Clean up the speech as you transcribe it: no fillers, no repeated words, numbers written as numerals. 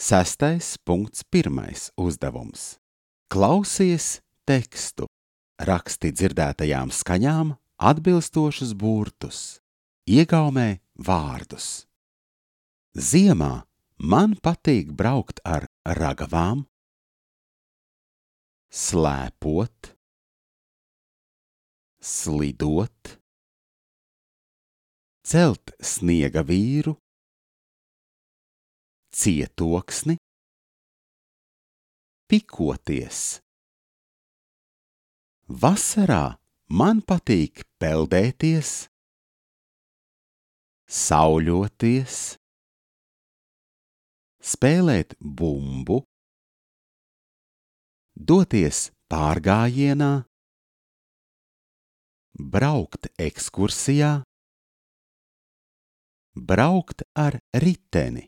6.1. uzdevums. Klausies tekstu, raksti dzirdētajām skaņām atbilstošus burtus, iegaumē vārdus. Ziemā man patīk braukt ar ragavām, slēpot, slidot, celt sniega vīru, cietoksni, pikoties. Vasarā man patīk peldēties, sauļoties, spēlēt bumbu, doties pārgājienā, braukt ekskursijā, braukt ar riteni.